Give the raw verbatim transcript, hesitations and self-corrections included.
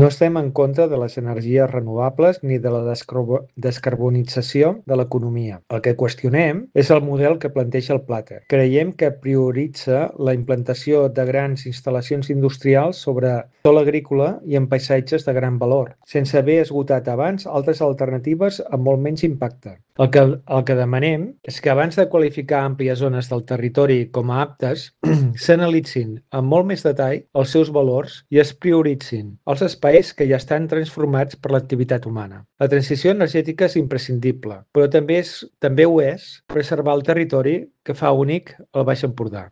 No estem en contra de les energies renovables ni de la descarbo- descarbonització de l'economia. El que qüestionem és el model que planteja el Plater. Creiem que prioritza la implantació de grans instal·lacions industrials sobre sòl agrícola i en paisatges de gran valor, sense haver esgotat abans altres alternatives amb molt menys impacte. El que, el que demanem és que abans de qualificar àmplies zones del territori com a aptes, s'analitzin amb molt més detall els seus valors i es prioritzin els espais que ja estan transformats per l'activitat humana. La transició energètica és imprescindible, però també, és, també ho és preservar el territori que fa únic el Baix Empordà.